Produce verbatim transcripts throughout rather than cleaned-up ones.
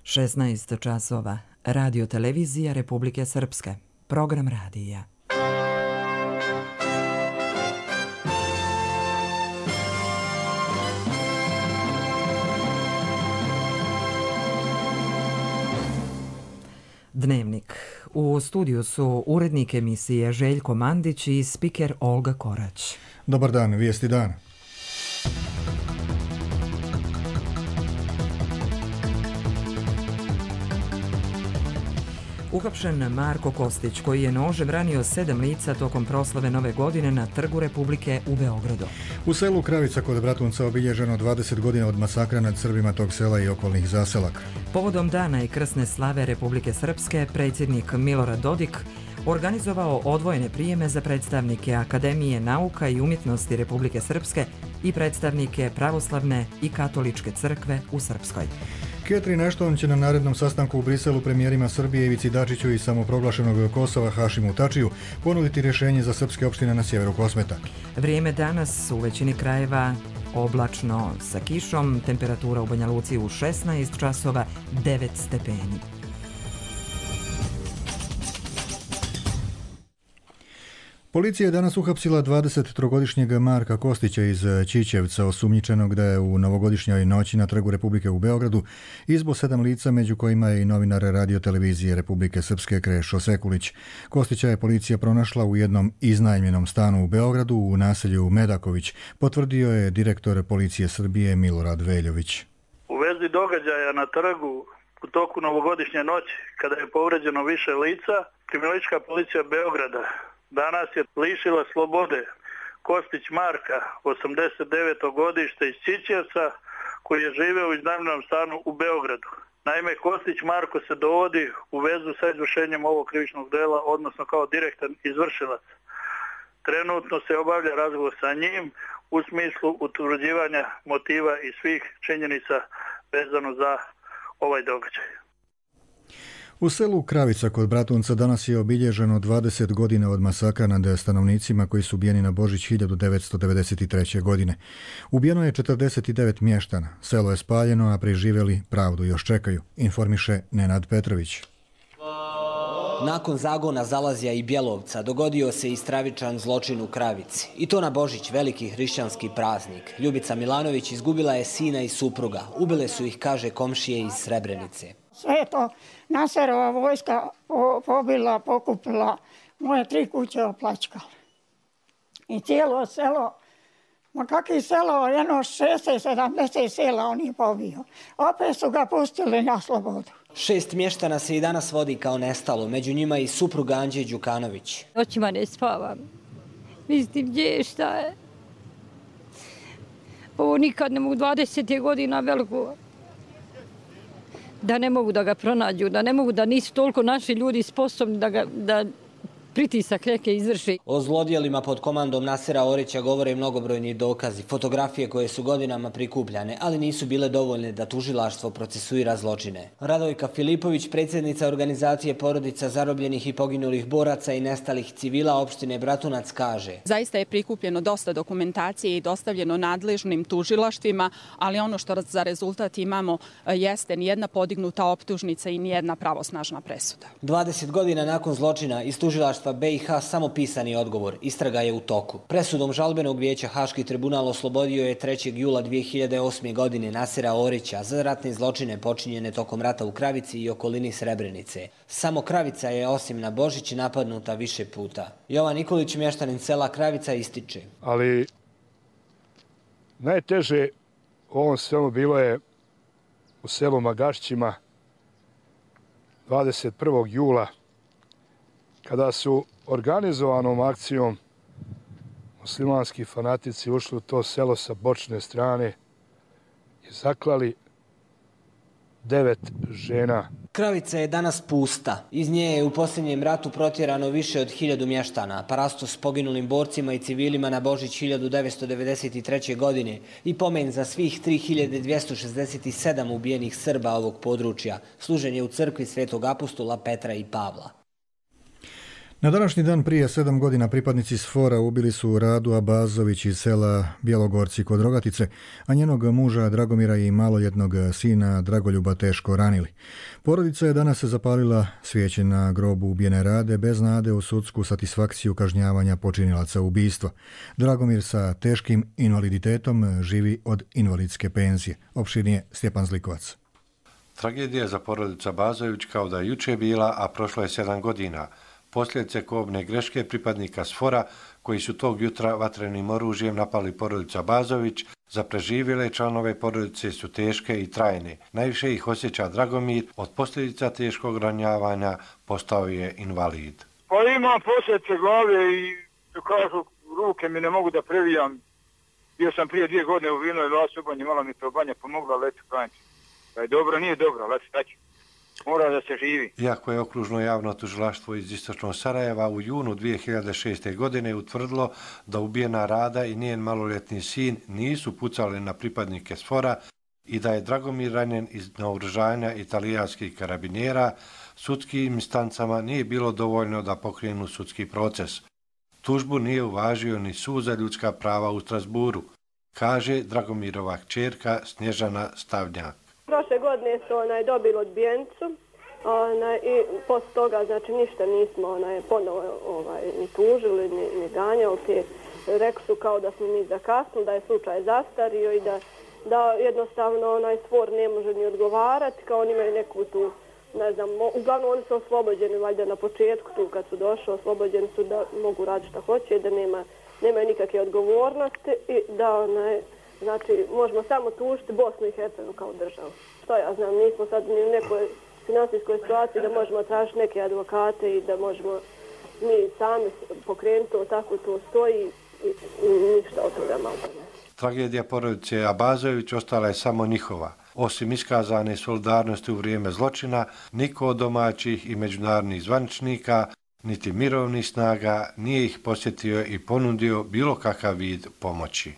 šesnaest časova. Radio televizija Republike Srpske. Program radija. Dnevnik. U studiju su urednik emisije Željko Mandić i spiker Olga Korać. Dobar dan, vijesti dana. Uhapšen Marko Kostić, koji je nožem ranio sedam lica tokom proslave Nove godine na Trgu Republike u Beogradu. U selu Kravica kod Bratunca obilježeno dvadeset godina od masakra nad Srbima tog sela i okolnih zaselaka. Povodom dana i krsne slave Republike Srpske, predsjednik Milorad Dodik organizovao odvojene prijeme za predstavnike Akademije nauka i umjetnosti Republike Srpske i predstavnike pravoslavne i katoličke crkve u Srpskoj. Catherine Ashton će na narednom sastanku u Briselu premijerima Srbije Ivici Dačiću i samoproglašenog Kosova Hašimu Tačiju ponuditi rješenje za srpske opštine na sjeveru Kosmeta. Vrijeme danas u većini krajeva oblačno sa kišom, temperatura u Banja Luci u šesnaest časova, devet stepeni. Policija je danas uhapsila dvadesettrogodišnjeg Marka Kostića iz Čičevca, osumnjičenog da je u novogodišnjoj noći na Trgu Republike u Beogradu izbo sedam lica, među kojima je i novinar radio televizije Republike Srpske Krešo Sekulić. Kostića je policija pronašla u jednom iznajmljenom stanu u Beogradu u naselju Medaković, potvrdio je direktor Policije Srbije Milorad Veljović. U vezi događaja na trgu u toku novogodišnje noći, kada je povređeno više lica, kriminalistička policija Beograda danas je lišila slobode Kostić Marka, osamdeset deveto godište iz Čičevca, koji je živeo u iznajmljenom stanu u Beogradu. Naime, Kostić Marko se dovodi u vezu sa izvršenjem ovog krivičnog dela, odnosno kao direktan izvršilac. Trenutno se obavlja razgovor sa njim u smislu utvrđivanja motiva i svih činjenica vezano za ovaj događaj. U selu Kravica kod Bratunca danas je obilježeno dvadeset godina od masakra nad stanovnicima koji su ubijeni na Božić hiljadu devetsto devedeset treće. godine. Ubijeno je četrdeset devet mještana. Selo je spaljeno, a preživjeli pravdu još čekaju, informiše Nenad Petrović. Nakon zagona Zalazja i Bjelovca dogodio se i stravičan zločin u Kravici. I to na Božić, veliki hrišćanski praznik. Ljubica Milanović izgubila je sina i supruga. Ubile su ih, kaže, komšije iz Srebrenice. Sve je to Naserova vojska pobila, pokupila, moje tri kuće opljačkala. I cijelo selo, ma kakvi selo, jedno šezdeset sedamdeset sela on je pobio. Opet su ga pustili na slobodu. Šest mještana se i danas vodi kao nestalo, među njima i supruga Anđe Đukanović. Noćima ne spavam. Mislim, gdje je, šta je? Ovo nikad ne mogu, dvadeset godina veliko. Da ne mogu da ga pronađu, da ne mogu, da nisu toliko naši ljudi sposobni da ga, da pritisak neke izvrši. O zlodjelima pod komandom Nasera Orića govore mnogobrojni dokazi, fotografije koje su godinama prikupljane, ali nisu bile dovoljne da tužilaštvo procesuira zločine. Radojka Filipović, predsjednica organizacije porodica zarobljenih i poginulih boraca i nestalih civila opštine Bratunac, kaže: Zaista je prikupljeno dosta dokumentacije i dostavljeno nadležnim tužilaštvima, ali ono što za rezultat imamo jeste nijedna podignuta optužnica i nijedna pravosnažna presuda. dvadeset godina nakon zločina iz tužilaštva B i H samo pisani odgovor. Istraga je u toku. Presudom žalbenog vijeća Haški tribunal oslobodio je trećeg jula dvije hiljade osme. godine Nasera Orića za ratne zločine počinjene tokom rata u Kravici i okolini Srebrenice. Samo Kravica je osim na Božić napadnuta više puta. Jovan Nikolić, mještanin sela Kravica, ističe: Ali najteže u ovom svemu bilo je u selu Magašćima dvadeset prvog jula, kada su organizovanom akcijom muslimanski fanatici ušli u to selo sa bočne strane i zaklali devet žena. Kravica je danas pusta. Iz nje je u posljednjem ratu protjerano više od hiljadu mještana. Parasto s poginulim borcima i civilima na Božić hiljadu devetsto devedeset treće. godine i pomen za svih tri hiljade dvjesto šezdeset sedam ubijenih Srba ovog područja. Služen je u crkvi Svetog apostola Petra i Pavla. Na današnji dan prije sedam godina pripadnici SFOR-a ubili su Radu Abazović iz sela Bjelogorci kod Rogatice, a njenog muža Dragomira i maloljetnog sina Dragoljuba teško ranili. Porodica je danas zapalila svijeće na grobu ubijene Rade bez nade u sudsku satisfakciju kažnjavanja počinilaca ubistva. Dragomir sa teškim invaliditetom živi od invalidske penzije. Opširnije Stjepan Zlikovac. Tragedija za porodicu Abazović kao da je juče bila, a prošlo je sedam godina. Posljedice kobne greške pripadnika SFOR-a koji su tog jutra vatrenim oružjem napali porodicu Abazović, za preživjele članove porodice su teške i trajne. Najviše ih osjeća Dragomir, od posljedica teškog ranjavanja postao je invalid. Pa imam posljedice glave i kažu ruke mi ne mogu da previjam. Bio sam prije dvije godine u Vinoj Lasu u banji, malo mi to banja pomogla, leti klanjati. Da je dobro, nije dobro, leti staći. Mora da se živi. Iako je okružno javno tužilaštvo iz istočnog Sarajeva u junu dvije hiljade šeste. godine utvrdilo da ubijena Rada i njen maloljetni sin nisu pucali na pripadnike SFOR-a i da je Dragomir ranjen iz naoružanja italijanskih karabinjera, sudskim instancama nije bilo dovoljno da pokrenu sudski proces. Tužbu nije uvažio ni Sud za ljudska prava u Strasburu, kaže Dragomirova kćerka Snježana Stavnjak. Prošle godine su onaj dobili odbijenicu onaj, i posle toga znači ništa nismo onaj, ponovo ovaj, ni tužili, ni, ni ganjali. Te, rekli su kao da smo mi zakasnili, da je slučaj zastario i da, da jednostavno onaj SFOR ne može ni odgovarati, kao oni imaju neku tu, ne znam, uglavnom oni su oslobođeni valjda na početku tu kad su došli, oslobođeni su da mogu raditi šta hoće i da nema, nemaju nikakve odgovornosti i da onaj, znači, možemo samo tužiti Bosnu i Hercegovinu kao državu. Što ja znam, nismo sad ni u nekoj finansijskoj situaciji da možemo tražiti neke advokate i da možemo mi sami pokrenuti to, tako to stoji i, i ništa od toga malo ne. Tragedija porodice Abazović ostala je samo njihova. Osim iskazane solidarnosti u vrijeme zločina, niko od domaćih i međunarodnih zvaničnika, niti mirovnih snaga nije ih posjetio i ponudio bilo kakav vid pomoći.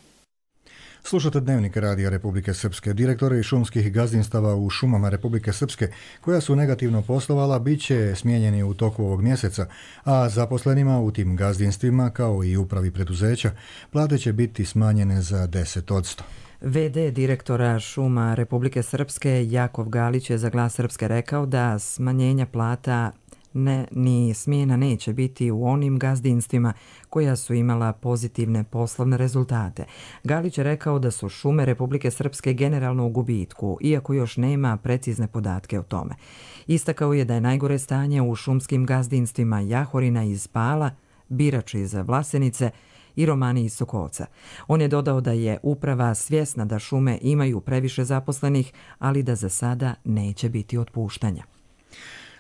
Slušate Dnevnik Radija Republike Srpske. Direktori šumskih gazdinstava u šumama Republike Srpske, koja su negativno poslovala, bit će smijenjeni u toku ovog mjeseca, a zaposlenima u tim gazdinstvima, kao i upravi preduzeća, plate će biti smanjene za deset posto. ve de direktora šuma Republike Srpske Jakov Galić je za Glas Srpske rekao da smanjenja plata ne, ni smjena neće biti u onim gazdinstvima koja su imala pozitivne poslovne rezultate. Galić je rekao da su šume Republike Srpske generalno u gubitku, iako još nema precizne podatke o tome. Istakao je da je najgore stanje u šumskim gazdinstvima Jahorina iz Pala, Birač iz Vlasenice i Romani iz Sokolca. On je dodao da je uprava svjesna da šume imaju previše zaposlenih, ali da za sada neće biti otpuštanja.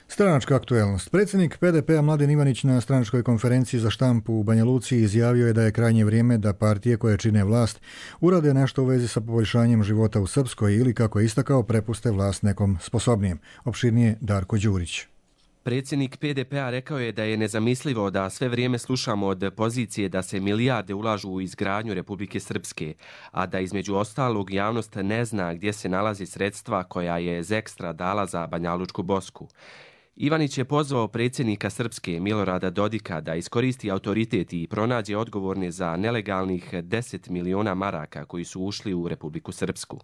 Stranačka aktuelnost. Predsjednik pe de pe-a Mladen Ivanić na stranačkoj konferenciji za štampu u Banja Luci izjavio je da je krajnje vrijeme da partije koje čine vlast urade nešto u vezi sa poboljšanjem života u Srpskoj ili, kako je istakao, prepuste vlast nekom sposobnijem. Opširnije Darko Đurić. Predsjednik pe de pe-a rekao je da je nezamislivo da sve vrijeme slušamo od pozicije da se milijarde ulažu u izgradnju Republike Srpske, a da između ostalog javnost ne zna gdje se nalazi sredstva koja je Zekstra dala za Banjalučku Bosku. Ivanić je pozvao predsjednika Srpske Milorada Dodika da iskoristi autoritet i pronađe odgovorne za nelegalnih deset miliona maraka koji su ušli u Republiku Srpsku.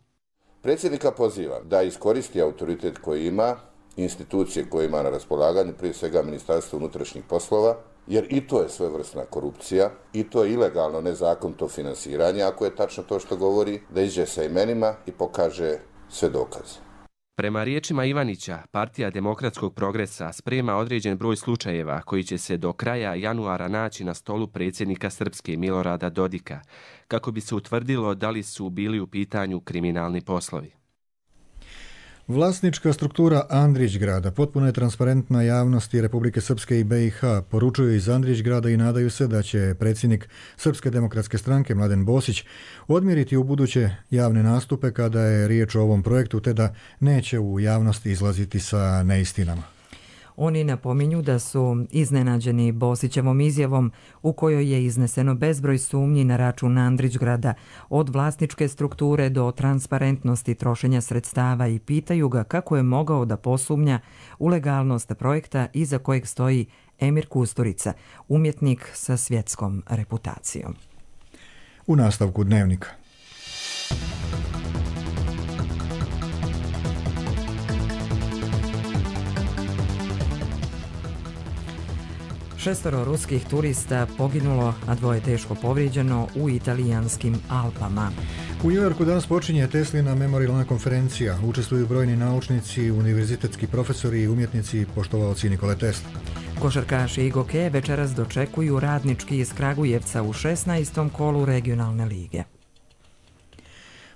Predsjednika pozivam da iskoristi autoritet koji ima, institucije koje ima na raspolaganju, prije svega Ministarstvo unutrašnjih poslova, jer i to je svojevrsna korupcija, i to je ilegalno nezakonito finansiranje, ako je tačno to što govori, da iđe sa imenima i pokaže sve dokaze. Prema riječima Ivanića, Partija demokratskog progresa sprema određen broj slučajeva koji će se do kraja januara naći na stolu predsjednika Srpske Milorada Dodika, kako bi se utvrdilo da li su bili u pitanju kriminalni poslovi. Vlasnička struktura Andrićgrada potpuno je transparentna javnosti Republike Srpske i be i ha, poručuju iz Andrićgrada i nadaju se da će predsjednik Srpske demokratske stranke Mladen Bosić odmjeriti u buduće javne nastupe kada je riječ o ovom projektu, te da neće u javnosti izlaziti sa neistinama. Oni napominju da su iznenađeni Bosićevom izjavom u kojoj je izneseno bezbroj sumnji na račun Andrićgrada, od vlasničke strukture do transparentnosti trošenja sredstava, i pitaju ga kako je mogao da posumnja u legalnost projekta iza kojeg stoji Emir Kusturica, umjetnik sa svjetskom reputacijom. U nastavku Dnevnika. Šestoro ruskih turista poginulo, a dvoje teško povrijeđeno u italijanskim Alpama. U New Yorku danas počinje Teslina memorialna konferencija. Učestvuju brojni naučnici, univerzitetski profesori i umjetnici poštovaoci Nikole Tesla. Košarkaši i gokeje večeras dočekuju Radnički iz Kragujevca u šesnaestom kolu regionalne lige.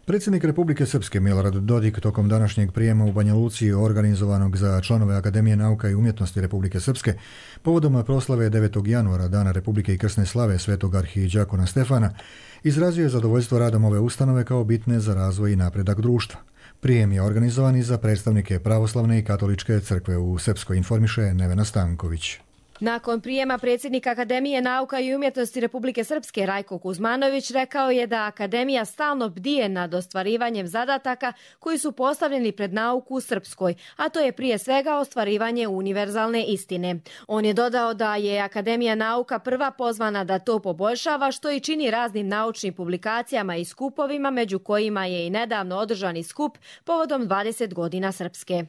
Predsjednik Republike Srpske Milorad Dodik tokom današnjeg prijema u Banja Luci organizovanog za članove Akademije nauka i umjetnosti Republike Srpske povodom proslave devetog januara Dana Republike i krsne slave svetog arhidijakona Stefana izrazio je zadovoljstvo radom ove ustanove kao bitne za razvoj i napredak društva. Prijem je organizovan i za predstavnike pravoslavne i katoličke crkve u Srpskoj, informiše Nevena Stanković. Nakon prijema predsjednik Akademije nauka i umjetnosti Republike Srpske Rajko Kuzmanović rekao je da Akademija stalno bdije nad ostvarivanjem zadataka koji su postavljeni pred nauku u Srpskoj, a to je prije svega ostvarivanje univerzalne istine. On je dodao da je Akademija nauka prva pozvana da to poboljšava, što i čini raznim naučnim publikacijama i skupovima, među kojima je i nedavno održani skup povodom dvadeset godina Srpske.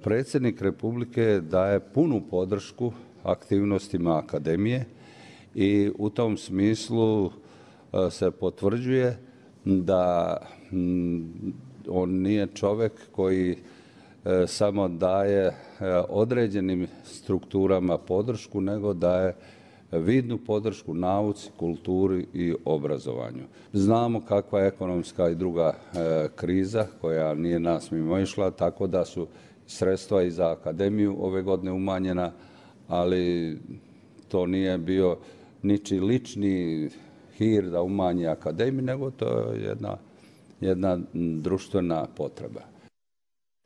Predsjednik Republike daje punu podršku aktivnostima Akademije i u tom smislu se potvrđuje da on nije čovjek koji samo daje određenim strukturama podršku, nego daje vidnu podršku nauci, kulturi i obrazovanju. Znamo kakva je ekonomska i druga kriza koja nije nas mimoišla, tako da su sredstva i za Akademiju ove godine umanjena, ali to nije bio ničiji lični hir da umanji Akademiju, nego to je jedna, jedna društvena potreba.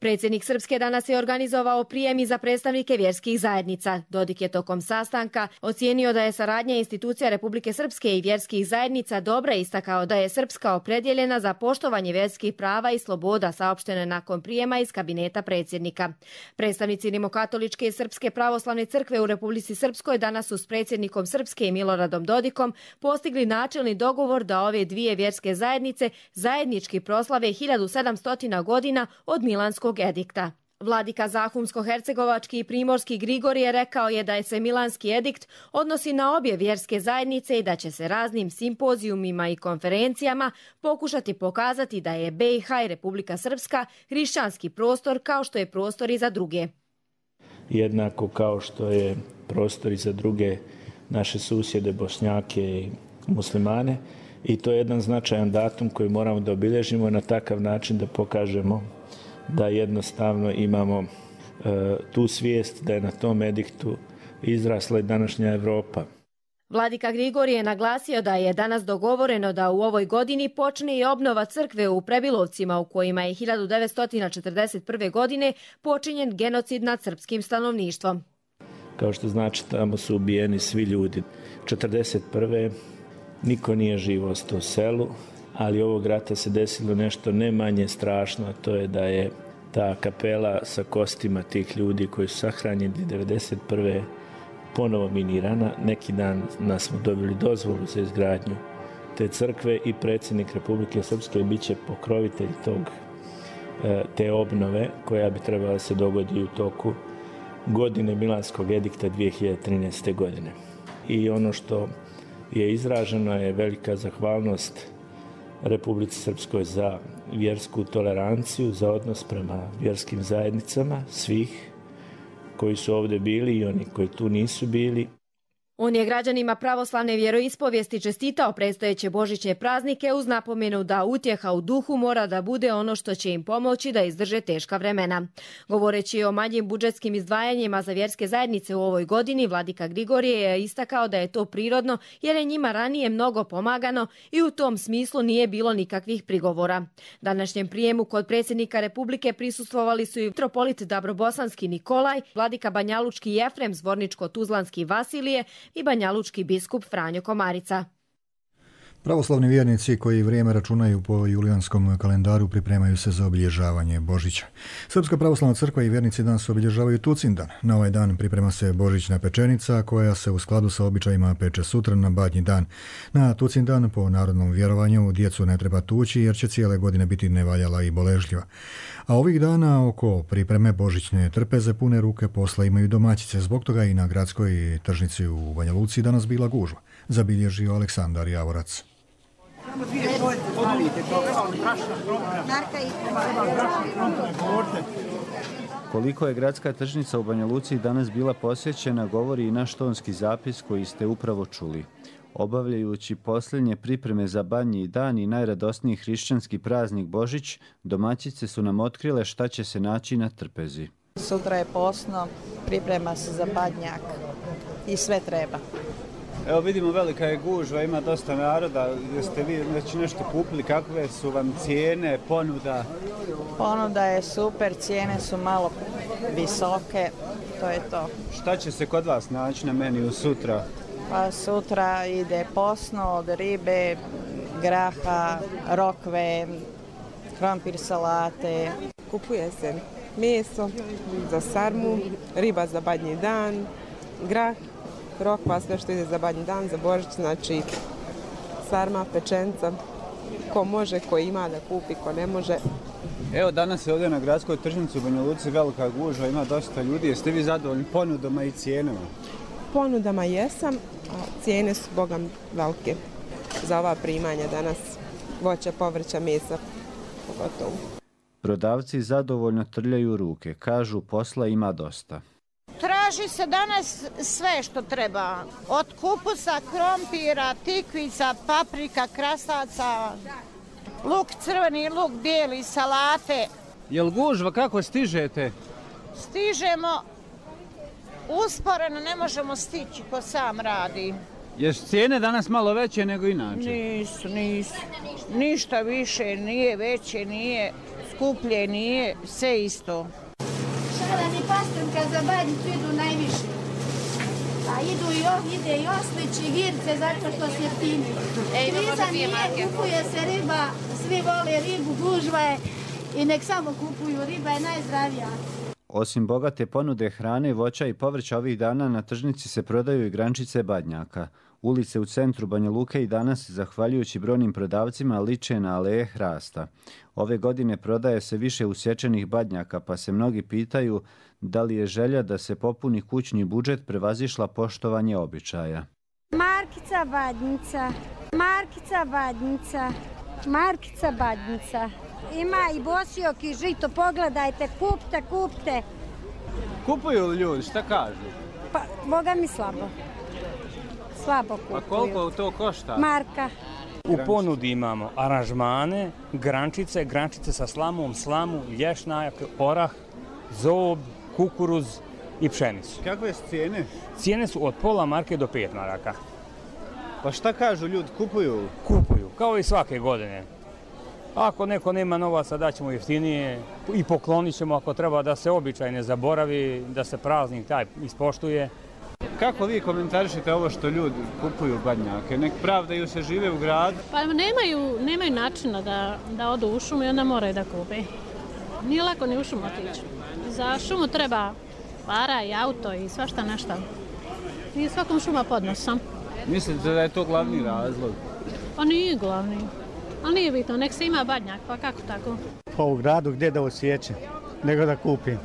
Predsjednik Srpske danas je organizovao prijem i za predstavnike vjerskih zajednica. Dodik je tokom sastanka ocijenio da je saradnja institucija Republike Srpske i vjerskih zajednica dobra, istakao da je Srpska opredjeljena za poštovanje vjerskih prava i sloboda, saopštene nakon prijema iz kabineta predsjednika. Predstavnici Rimokatoličke i Srpske pravoslavne crkve u Republici Srpskoj danas su s predsjednikom Srpske i Miloradom Dodikom postigli načelni dogovor da ove dvije vjerske zajednice zajednički proslave hiljadu sedamsto godina od Milanskog edikta. Vladika Zahumsko-hercegovački i primorski Grigorije rekao je da je se Milanski edikt odnosi na obje vjerske zajednice i da će se raznim simpozijumima i konferencijama pokušati pokazati da je B i H i Republika Srpska hrišćanski prostor kao što je prostor i za druge. Jednako kao što je prostor i za druge naše susjede, Bošnjake i muslimane, i to je jedan značajan datum koji moramo da obilježimo na takav način da pokažemo da jednostavno imamo e, tu svijest da je na tom ediktu izrasla i današnja Evropa. Vladika Grigorije je naglasio da je danas dogovoreno da u ovoj godini počne i obnova crkve u Prebilovcima, u kojima je hiljadu devetsto četrdeset prve. godine počinjen genocid nad srpskim stanovništvom. Kao što znači, tamo su ubijeni svi ljudi. četrdeset prve. niko nije živ ostao u selu, ali ovog rata se desilo nešto ne manje strašno, a to je da je ta kapela sa kostima tih ljudi koji su sahranjeni devedeset prve. ponovo minirana. Neki dan nas smo dobili dozvolu za izgradnju te crkve i predsjednik Republike Srpske bit će pokrovitelj tog, te obnove koja bi trebala se dogodi u toku godine Milanskog edikta dvije hiljade trinaeste. godine. I ono što je izraženo je velika zahvalnost Republici Srpskoj za vjersku toleranciju, za odnos prema vjerskim zajednicama svih koji su ovdje bili i oni koji tu nisu bili. On je građanima pravoslavne vjeroispovijesti čestitao predstojeće božićne praznike uz napomenu da utjeha u duhu mora da bude ono što će im pomoći da izdrže teška vremena. Govoreći o manjim budžetskim izdvajanjima za vjerske zajednice u ovoj godini, vladika Grigorije je istakao da je to prirodno jer je njima ranije mnogo pomagano i u tom smislu nije bilo nikakvih prigovora. Današnjem prijemu kod predsjednika Republike prisustvovali su i mitropolit Dabrobosanski Nikolaj, vladika Banjalučki Jefrem, Zvorničko-Tuzlanski Vasilije i banjalučki biskup Franjo Komarica. Pravoslavni vjernici koji vrijeme računaju po julijanskom kalendaru pripremaju se za obilježavanje Božića. Srpska pravoslavna crkva i vjernici danas obilježavaju Tucindan. Na ovaj dan priprema se božićna pečenica koja se u skladu sa običajima peče sutra na Badnji dan. Na Tucindan po narodnom vjerovanju djecu ne treba tući jer će cijele godine biti nevaljala i boležljiva. A ovih dana oko pripreme božićne trpeze pune ruke posla imaju domaćice. Zbog toga i na gradskoj tržnici u Banja Luci danas bila gužva. Zabilježio Aleksandar Javorac. Koliko je gradska tržnica u Banja Luci danas bila posjećena govori i naš tonski zapis koji ste upravo čuli. Obavljajući posljednje pripreme za Badnji dan i najradosniji hrišćanski praznik Božić, domaćice su nam otkrile šta će se naći na trpezi. Sutra je posno, priprema se za Badnjak i sve treba. Evo vidimo, velika je gužva, ima dosta naroda. Jeste vi već nešto kupili? Kakve su vam cijene, ponuda? Ponuda je super, cijene su malo visoke, to je to. Šta će se kod vas naći na meniju sutra? Pa sutra ide posno od ribe, graha, rokve, krompir salate. Kupuje se meso za sarmu, riba za Badnji dan, grah, rokva, sve što ide za Badnji dan, za Božić, znači sarma, pečenca, ko može, ko ima da kupi, ko ne može. Evo danas je ovdje na gradskoj tržnici u Banja Luci velika gužva, ima dosta ljudi. Jeste vi zadovoljni ponudama i cijenama? Ponudama jesam, a cijene su bogam velike za ova primanja danas, voća, povrća, mesa, pogotovo. Prodavci zadovoljno trljaju ruke, kažu posla ima dosta. Traži se danas sve što treba, od kupusa, krompira, tikvica, paprika, krasaca, luk crveni, luk bijeli, salate. Jel gužva, kako stižete? Stižemo usporeno, ne možemo stići ko sam radi. Jesu cijene danas malo veće nego inače? Nisu, nisu. Ništa više, nije veće, nije skuplje, nije, sve isto. Šaran i pastrnka za Badnjicu idu najviše. A idu i ov, ide i oslić i girce zato što se jeftini. Kriza nije, kupuje se riba, svi vole ribu, gužva je i nek samo kupuju, riba je najzdravija. Osim bogate ponude hrane, voća i povrća ovih dana na tržnici se prodaju i grančice badnjaka. Ulice u centru Banja Luke i danas, zahvaljujući brojnim prodavcima, liče na aleje hrasta. Ove godine prodaje se više usječenih badnjaka, pa se mnogi pitaju da li je želja da se popuni kućni budžet prevazišla poštovanje običaja. Markica badnjica, markica badnjica, markica badnjica. Ima i bosiok i žito, pogledajte, kupte, kupte. Kupuju li ljudi, šta kažu? Pa, boga mi slabo. Slabo kupuju. A koliko to košta? Marka. U ponudi imamo aranžmane, grančice, grančice sa slamom, slamu, lješnjak, orah, zob, kukuruz i pšenicu. Kakve su cijene? Cijene su od pola marke do pet maraka. Pa šta kažu ljudi, kupuju? Kupuju, kao i svake godine. Ako neko nema novaca, daćemo jeftinije i poklonit ćemo ako treba da se običaj ne zaboravi, da se praznik taj ispoštuje. Kako vi komentarišete ovo što ljudi kupuju badnjake? Nek pravdaju se, žive u gradu? Pa nemaju, nemaju načina da, da odu u šumu i onda moraju da kupe. Nije lako ni u šumu otići. Za šumu treba para i auto i svašta nešto. I svakom šuma podnosom. Mislite da je to glavni razlog? Pa nije glavni. Ali nije bitno, nek se ima badnjak, pa kako tako? Pa u gradu gdje da osjećam, nego da kupim.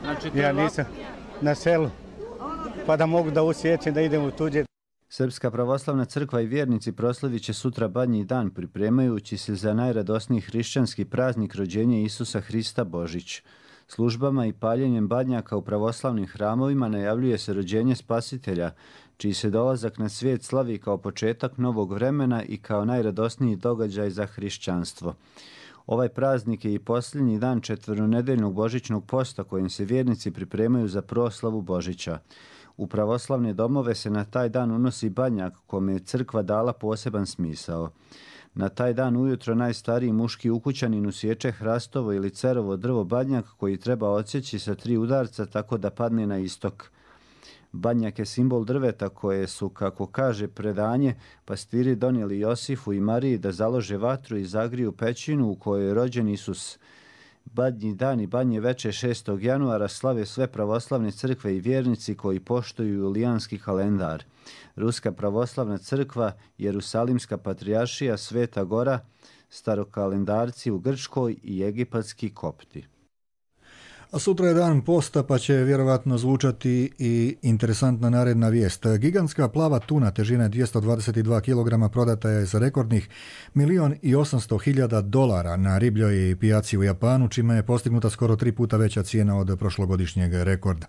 Znači, to ja nisam na selu, pa da mogu da osjećam da idem u tuđe. Srpska pravoslavna crkva i vjernici proslavit će sutra Badnji dan pripremajući se za najradosniji hrišćanski praznik rođenja Isusa Hrista Božić. Službama i paljenjem badnjaka u pravoslavnim hramovima najavljuje se rođenje Spasitelja, čiji se dolazak na svijet slavi kao početak novog vremena i kao najradosniji događaj za hrišćanstvo. Ovaj praznik je i posljednji dan četveronedeljnog božićnog posta kojim se vjernici pripremaju za proslavu Božića. U pravoslavne domove se na taj dan unosi badnjak kome je crkva dala poseban smisao. Na taj dan ujutro najstariji muški ukućanin usječe hrastovo ili cerovo drvo badnjak koji treba odsjeći sa tri udarca tako da padne na istok. Badnjak je simbol drveta koje su, kako kaže predanje, pastiri donijeli Josifu i Mariji da založe vatru i zagriju pećinu u kojoj je rođen Isus. Badnji dan i badnje veče šestog januara slave sve pravoslavne crkve i vjernici koji poštuju julijanski kalendar. Ruska pravoslavna crkva, Jerusalimska patrijaršija, Sveta Gora, starokalendarci u Grčkoj i egipatski kopti. A sutra je dan posta, pa će vjerovatno zvučati i interesantna naredna vijest. Gigantska plava tuna težine dvjesto dvadeset dva kilograma prodata je za rekordnih milijun i osamsto hiljada dolara na ribljoj pijaci u Japanu, čime je postignuta skoro tri puta veća cijena od prošlogodišnjeg rekorda.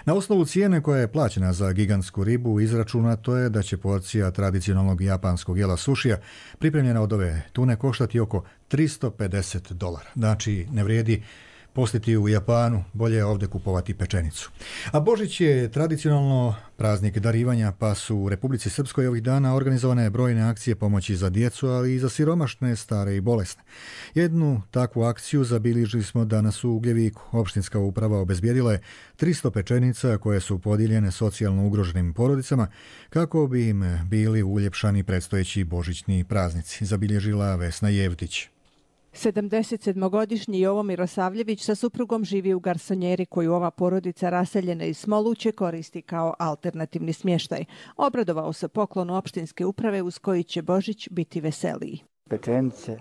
Na osnovu cijene koja je plaćena za gigantsku ribu izračunato je da će porcija tradicionalnog japanskog jela sušija pripremljena od ove tune koštati oko tristo pedeset dolara. Znači, ne vrijedi postiti u Japanu, bolje je ovdje kupovati pečenicu. A Božić je tradicionalno praznik darivanja, pa su u Republici Srpskoj ovih dana organizovane brojne akcije pomoći za djecu, ali i za siromašne, stare i bolesne. Jednu takvu akciju zabilježili smo danas u Ugljeviku. Opštinska uprava obezbijedila je tristo pečenica koje su podijeljene socijalno ugroženim porodicama kako bi im bili uljepšani predstojeći božićni praznici, zabilježila Vesna Jevtić. sedamdesetsedmogodišnji Jovo Mirosavljević sa suprugom živi u garsonjeri koju ova porodica raseljena iz Smoluće koristi kao alternativni smještaj. Obradovao se poklonu opštinske uprave uz koji će Božić biti veseliji. Pečenice,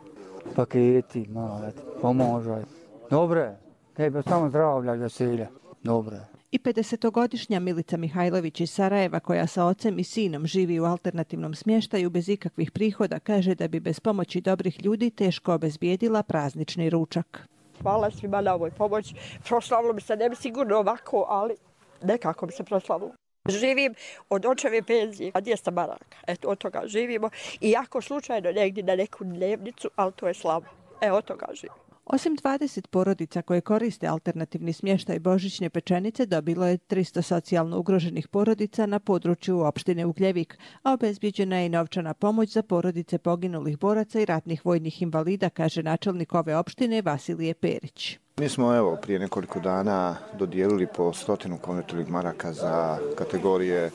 paketi, malo, pomožaj. Dobre, tebe samo zdravlja i veselja. Dobre. I pedesetogodišnja Milica Mihajlović iz Sarajeva, koja sa ocem i sinom živi u alternativnom smještaju bez ikakvih prihoda, kaže da bi bez pomoći dobrih ljudi teško obezbijedila praznični ručak. Hvala svima na ovoj pomoći. Proslavilo bi se, ne bi sigurno ovako, ali nekako bi se proslavilo. Živim od očeve penzije, a dvjesto maraka. Eto, od toga živimo. I ako slučajno negdje na neku dnevnicu, ali to je slabo. E, od toga živimo. Osim dvadeset porodica koje koriste alternativni smještaj božićne pečenice, dobilo je tristo socijalno ugroženih porodica na području opštine Ugljevik, a obezbijeđena je i novčana pomoć za porodice poginulih boraca i ratnih vojnih invalida, kaže načelnik ove opštine Vasilije Perić. Mi smo evo prije nekoliko dana dodijelili po stotinu konvertilnih maraka za kategorije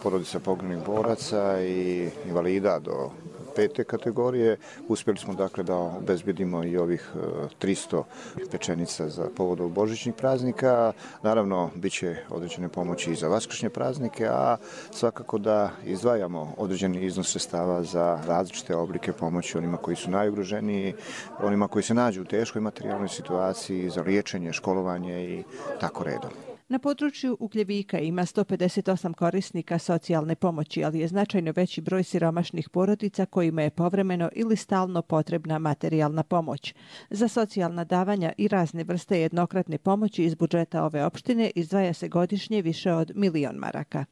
porodica poginulih boraca i invalida do pete kategorije. Uspjeli smo dakle da obezbjedimo i ovih tristo pečenica za povodom božićnih praznika. Naravno, bit će određene pomoći i za vaskršnje praznike, a svakako da izdvajamo određeni iznos sredstava za različite oblike pomoći onima koji su najugroženiji, onima koji se nađu u teškoj materijalnoj situaciji, za liječenje, školovanje i tako redom. Na području Ugljevika ima sto pedeset osam korisnika socijalne pomoći, ali je značajno veći broj siromašnih porodica kojima je povremeno ili stalno potrebna materijalna pomoć. Za socijalna davanja i razne vrste jednokratne pomoći iz budžeta ove opštine izdvaja se godišnje više od milion maraka.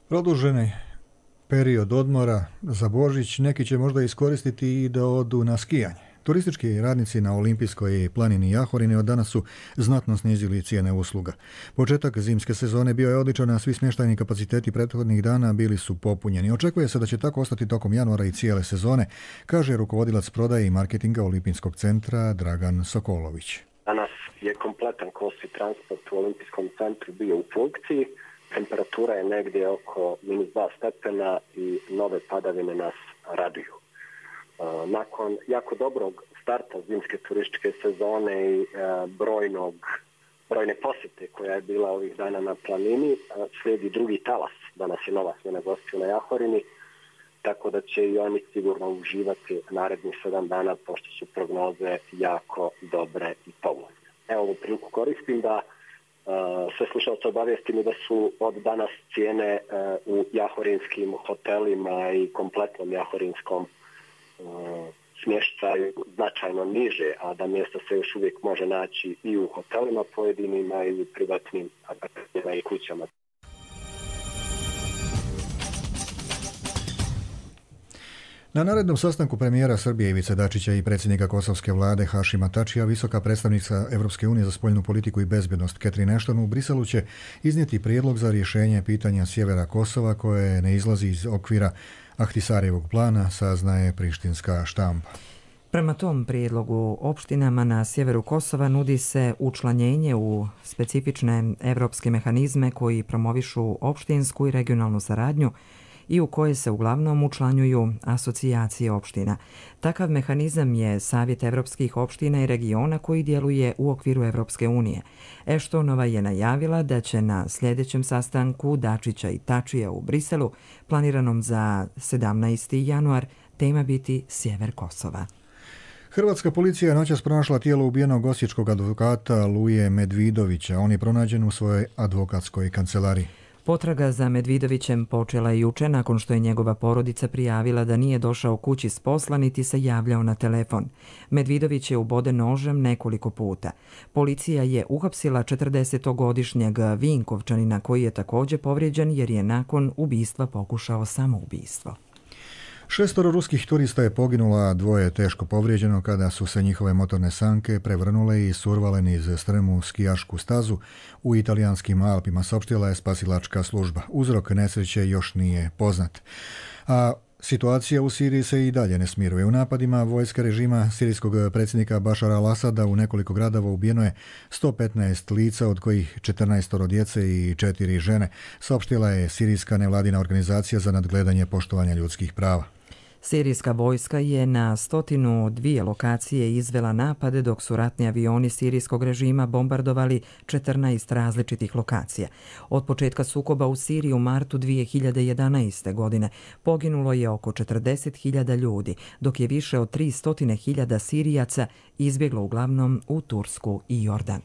Produženi period odmora za Božić neki će možda iskoristiti i da odu na skijanje. Turistički radnici na Olimpijskoj planini Jahorini od danas su znatno snizili cijene usluga. Početak zimske sezone bio je odličan, a svi smještajni kapaciteti prethodnih dana bili su popunjeni. Očekuje se da će tako ostati tokom januara i cijele sezone, kaže rukovodilac prodaje i marketinga Olimpijskog centra Dragan Sokolović. Danas je kompletan kosti transport u Olimpijskom centru bio u funkciji. Temperatura je negdje oko minus dva stepena i nove padavine nas raduju. Nakon jako dobrog starta zimske turističke sezone i brojnog, brojne posjete koja je bila ovih dana na planini, slijedi drugi talas. Danas je nova smjena gostiju na Jahorini, tako da će i oni sigurno uživati narednih sedam dana, pošto su prognoze jako dobre i povoljne. Evo ovu priliku koristim da Uh, sve slušalce obavijestim da su od danas cijene uh, u jahorinskim hotelima i kompletnom jahorinskom uh, smještaju značajno niže, a da mjesto se još uvijek može naći i u hotelima pojedinima i u privatnim apartmanima i kućama. Na narednom sastanku premijera Srbije Ivice Dačića i predsjednika kosovske vlade Hašima Tačija, visoka predstavnica Europske unije za spoljnu politiku i bezbjednost Catherine Ashton u Briselu će iznijeti prijedlog za rješenje pitanja sjevera Kosova koje ne izlazi iz okvira Ahtisarjevog plana, saznaje prištinska štampa. Prema tom prijedlogu opštinama na sjeveru Kosova nudi se učlanjenje u specifične evropske mehanizme koji promovišu opštinsku i regionalnu saradnju i u koje se uglavnom učlanjuju asocijacije opština. Takav mehanizam je Savjet evropskih opština i regiona koji djeluje u okviru Evropske unije. Eštonova je najavila da će na sljedećem sastanku Dačića i Tačija u Briselu, planiranom za sedamnaesti januar, tema biti sjever Kosova. Hrvatska policija je noćas pronašla tijelo ubijenog osječkog advokata Luje Medvidovića. On je pronađen u svojoj advokatskoj kancelariji. Potraga za Medvidovićem počela je juče nakon što je njegova porodica prijavila da nije došao kući s posla niti se javljao na telefon. Medvidović je uboden nožem nekoliko puta. Policija je uhapsila četrdesetogodišnjeg Vinkovčanina koji je također povrijeđen jer je nakon ubistva pokušao samoubistvo. Šestoro ruskih turista je poginulo, a dvoje teško povrijeđeno kada su se njihove motorne sanke prevrnule i survale niz strmu skijašku stazu u italijanskim Alpima, saopštila je spasilačka služba. Uzrok nesreće još nije poznat. A situacija u Siriji se i dalje ne smiruje. U napadima vojske režima sirijskog predsjednika Bašara al-Asada u nekoliko gradova ubijeno je sto petnaest lica, od kojih četrnaest djece i četiri žene, saopštila je sirijska nevladina organizacija za nadgledanje poštovanja ljudskih prava. Sirijska vojska je na stotinu dvije lokacije izvela napade dok su ratni avioni sirijskog režima bombardovali četrnaest različitih lokacija. Od početka sukoba u Siriji u martu dvije hiljade jedanaeste. godine poginulo je oko četrdeset hiljada ljudi, dok je više od tristo hiljada Sirijaca izbjeglo uglavnom u Tursku i Jordan.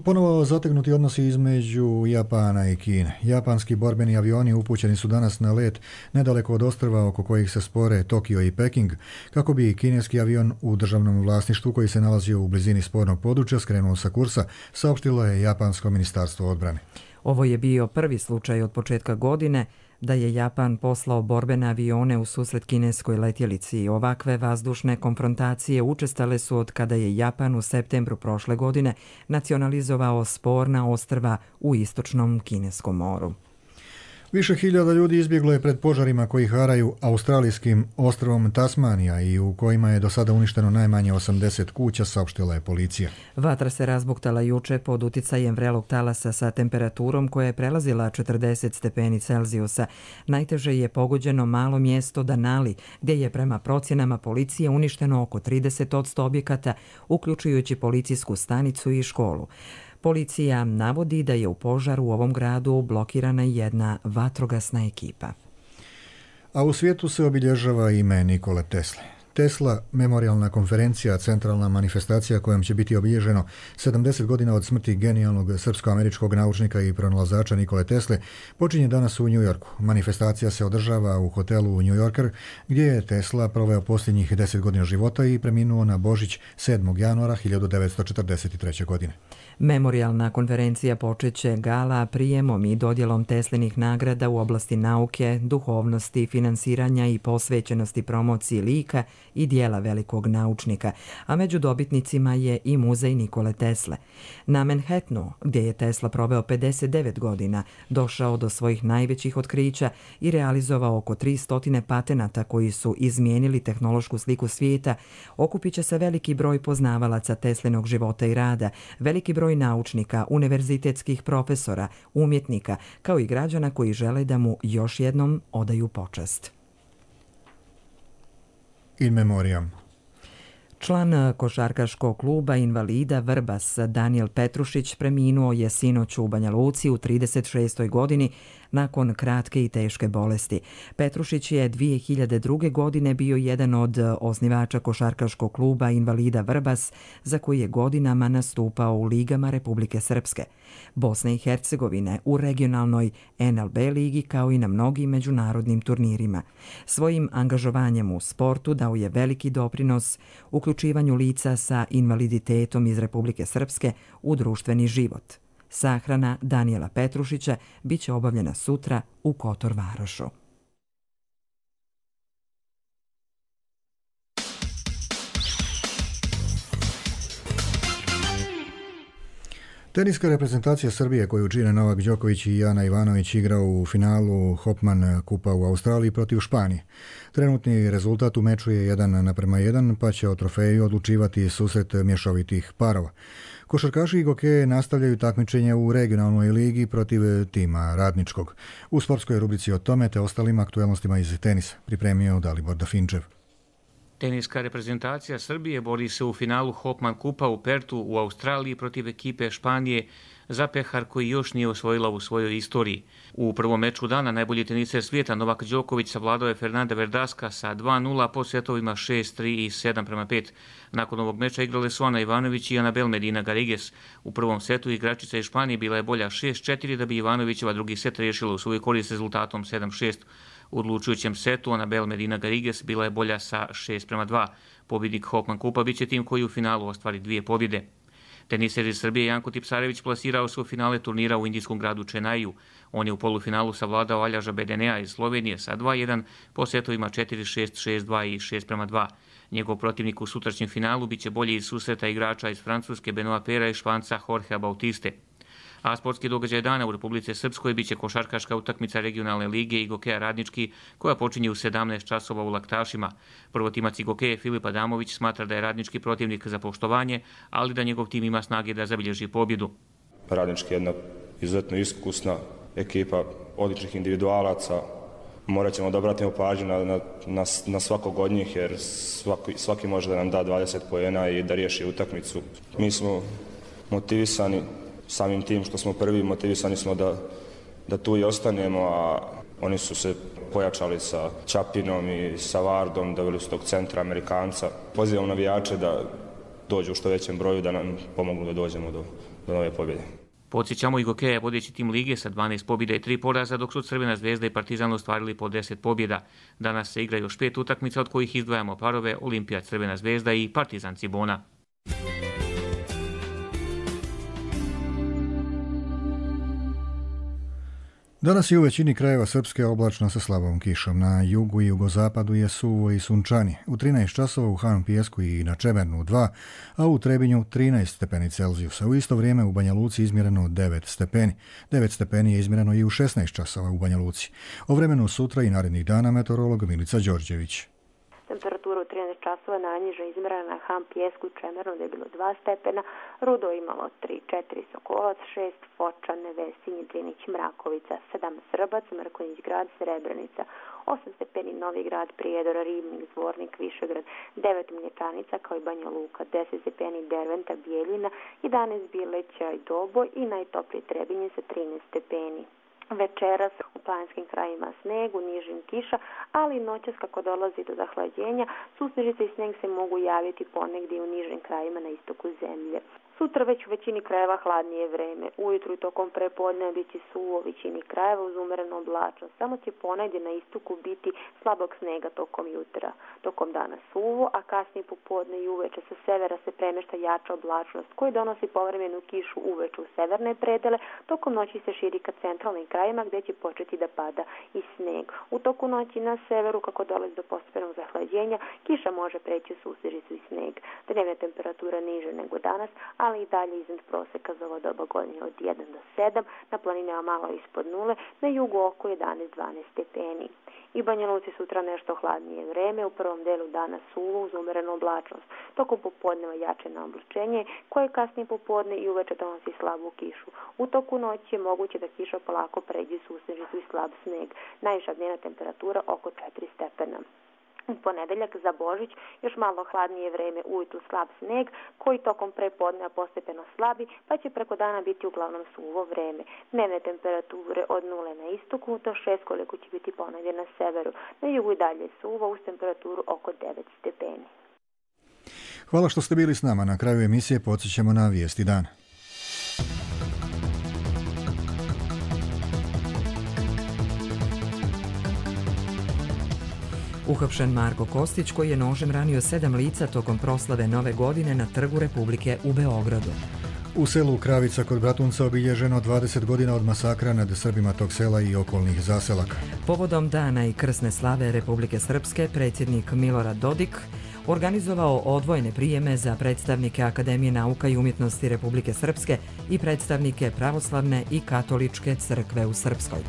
Ponovo zategnuti odnosi između Japana i Kine. Japanski borbeni avioni upućeni su danas na let nedaleko od ostrva oko kojih se spore Tokio i Peking, kako bi kineski avion u državnom vlasništvu koji se nalazio u blizini spornog područja skrenuo sa kursa, saopštilo je Japansko ministarstvo odbrane. Ovo je bio prvi slučaj od početka godine da je Japan poslao borbene avione u susret kineskoj letjelici. Ovakve vazdušne konfrontacije učestale su od kada je Japan u septembru prošle godine nacionalizovao sporna ostrva u istočnom Kineskom moru. Više hiljada ljudi izbjeglo je pred požarima koji haraju australijskim ostrvom Tasmanija i u kojima je do sada uništeno najmanje osamdeset kuća, saopštila je policija. Vatra se razbuktala juče pod uticajem vrelog talasa sa temperaturom koja je prelazila četrdeset stepeni Celzijusa. Najteže je pogođeno malo mjesto Danali, gdje je prema procjenama policije uništeno oko trideset posto objekata, uključujući policijsku stanicu i školu. Policija navodi da je u požaru u ovom gradu blokirana jedna vatrogasna ekipa. A u svijetu se obilježava ime Nikole Tesle. Tesla memorijalna konferencija, centralna manifestacija kojom će biti obilježeno sedamdeset godina od smrti genijalnog srpsko-američkog naučnika i pronalazača Nikole Tesle, počinje danas u New Yorku. Manifestacija se održava u hotelu New Yorker, gdje je Tesla proveo posljednjih deset godina života i preminuo na Božić sedmog januara hiljadu devetsto četrdeset treće. godine. Memorijalna konferencija počeće gala prijemom i dodjelom Teslinih nagrada u oblasti nauke, duhovnosti, finansiranja i posvećenosti promociji lika i dijela velikog naučnika, a među dobitnicima je i muzej Nikole Tesle. Na Manhattanu, gdje je Tesla proveo pedeset devet godina, došao do svojih najvećih otkrića i realizovao oko tristo patenata koji su izmijenili tehnološku sliku svijeta, okupit će se veliki broj poznavalaca Teslinog života i rada, veliki broj naučnika, univerzitetskih profesora, umjetnika, kao i građana koji žele da mu još jednom odaju počast. In memoriam. Član košarkaškog kluba invalida Vrbas Danijel Petrušić preminuo je sinoć u Banja Luci u trideset šestoj. godini nakon kratke i teške bolesti. Petrušić je dvije hiljade druge. godine bio jedan od osnivača košarkaškog kluba invalida Vrbas, za koji je godinama nastupao u ligama Republike Srpske, Bosne i Hercegovine, u regionalnoj en el be ligi kao i na mnogim međunarodnim turnirima. Svojim angažovanjem u sportu dao je veliki doprinos uključivanju lica sa invaliditetom iz Republike Srpske u društveni život. Sahrana Danijela Petrušića bit će obavljena sutra u Kotor Varošu. Teniska reprezentacija Srbije koju čine Novak Đoković i Ana Ivanović igrao u finalu Hopman kupa u Australiji protiv Španije. Trenutni rezultat u meču je jedan naprema jedan, pa će o trofeju odlučivati susret mješovitih parova. Košarkaši i gokeje nastavljaju takmičenje u regionalnoj ligi protiv tima Radničkog. U sportskoj rubrici o tome te ostalim aktualnostima iz tenisa pripremio Dalibor Dafinčev. Teniska reprezentacija Srbije bori se u finalu Hopman kupa u Pertu u Australiji protiv ekipe Španije za pehar koji još nije osvojila u svojoj istoriji. U prvom meču dana najbolji teniser svijeta Novak Đoković savladao je Fernanda Verdaska sa dva nula po setovima šest tri i sedam prema pet. Nakon ovog meča igrale su Ana Ivanović i Anabel Medina Garrigues. U prvom setu igračica iz Španije bila je bolja šest četiri da bi Ivanovićeva drugi set riješila u svoj korist rezultatom sedam šest. U odlučujućem setu Anabel Medina Garrigues bila je bolja sa šest prema dva. Pobjednik Hopman kupa biće tim koji u finalu ostvari dvije pobjede. Teniser iz Srbije Janko Tipsarević plasirao se u finale turnira u indijskom gradu Čenaiju. On je u polufinalu savladao Aljaža Bedenea iz Slovenije sa dva jedan po setovima četiri šest, šest dva i šest prema dva. Njegov protivnik u sutrašnjem finalu biće bolji iz susreta igrača iz Francuske Benoit Pera i Španca Jorgea Bautiste. A sportski događaj dana u Republici Srpskoj biće košarkaška utakmica regionalne lige i gokeja Radnički koja počinje u sedamnaest časova u Laktašima. Prvotimac i gokeje Filip Adamović smatra da je Radnički protivnik za poštovanje, ali da njegov tim ima snage da zabilježi pobjedu. Radnički je jedna izuzetno iskusna ekipa odličnih individualaca. Morat ćemo da obratimo pažnju na, na, na, na svakog od njih jer svaki, svaki može da nam da dvadeset poena i da riješi utakmicu. Mi smo motivisani samim tim što smo prvi, motivisani smo da, da tu i ostanemo, a oni su se pojačali sa Čapinom i sa Vardom, doveli su tog centra Amerikanca. Pozivam navijače da dođu u što većem broju, da nam pomognu da dođemo do, do nove pobjede. Podsjećamo i gokeja vodeći tim lige sa dvanaest pobjeda i tri poraza, dok su Crvena zvezda i Partizan ostvarili po deset pobjeda. Danas se igra još pet utakmica, od kojih izdvajamo parove Olimpija Crvena zvezda i Partizan Cibona. Danas je u većini krajeva Srpske oblačno sa slabom kišom. Na jugu i jugozapadu je suvo i sunčani. U trinaest časova u Han Pijesku i na Čemernu dva, a u Trebinju trinaest stepeni Celzijusa. U isto vrijeme u Banja Luci izmjereno devet stepeni. devet stepeni je izmjereno i u šesnaest časova u Banja Luci. O vremenu sutra i narednih dana meteorolog Milica Đorđević. Temperatura u trinaest časova najniža izmjerena na Han Pijesku i Čemernu da je bilo dva stepena, Rudo imalo tri četiri, Sokolac šest, Foča, Nevesinje, Drinić, Mrakovica sedam, Srbac, Mrkonjić grad, Srebrenica osam stepeni, Novi grad, Prijedor, Ribnik, Zvornik, Višegrad devet, Mlječanica kao i Banja Luka deset stepeni, Derventa, Bijeljina jedanaest, Bileća i Doboj i najtoplije Trebinje sa trinaest stepeni. Večeras u planinskim krajima sneg, u nižim kiša, ali noćas kako dolazi do zahlađenja, susnežice i sneg se mogu javiti ponegdje u nižim krajima na istoku zemlje. Sutra već u većini krajeva hladnije vreme. Ujutru i tokom prepodne biti suvo u većini krajeva uz umerenu oblačnost. Samo će ponegdje na istoku biti slabog snega tokom jutra. Tokom dana suvo, a kasnije popodne i uveče sa severa se premješta jača oblačnost koji donosi povremenu kišu uveče u severne predele. Tokom noći se širi ka centralnim krajima gdje će početi da pada i sneg. U toku noći na severu kako dolazi do postepenog zahlađenja, kiša može preći u susnežicu i sneg. Dnevna temperatura niže nego danas, ali i dalje iznad proseka za ovo doba godine od jedan do sedam, na planinama malo ispod nule, na jugu oko jedanaest dvanaest stepeni. I Banja Luci sutra nešto hladnije vreme, u prvom delu dana suvo uz umerenu oblačnost. Tokom popodneva jače na oblačenje, koje kasnije popodne i uveče donosi slabu kišu. U toku noći je moguće da kiša polako pređe susnežicu i slab sneg. Najviša dnevna temperatura oko četiri stepena. U ponedeljak za Božić još malo hladnije vreme, ujutru slab sneg koji tokom prepodneva postepeno slabi, pa će preko dana biti uglavnom suvo vreme. Dnevne temperature od nule na istoku do šest koliko će biti ponegdje na severu. Na jugu i dalje suvo uz temperaturu oko devet stepeni. Hvala što ste bili s nama. Na kraju emisije podsjećamo na vijesti dana. Uhapšen Marko Kostić koji je nožem ranio sedam lica tokom proslave Nove godine na Trgu Republike u Beogradu. U selu Kravica kod Bratunca obilježeno dvadeset godina od masakra nad Srbima tog sela i okolnih zaselaka. Povodom dana i krsne slave Republike Srpske, predsjednik Milorad Dodik organizovao odvojene prijeme za predstavnike Akademije nauka i umjetnosti Republike Srpske i predstavnike pravoslavne i katoličke crkve u Srpskoj.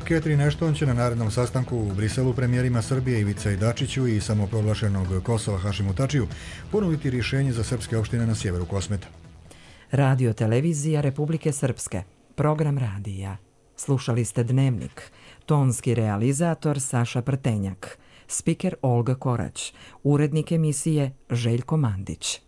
Catherine Ashton će na narednom sastanku u Briselu premijerima Srbije Ivici Dačiću i samoproglašenog Kosova Hašimu Tačiju ponuditi rješenje za srpske opštine na sjeveru Kosmeta. Radio televizija Republike Srpske. Program radija. Slušali ste Dnevnik. Tonski realizator Saša Prtenjak. Spiker Olga Korać. Urednik emisije Željko Mandić.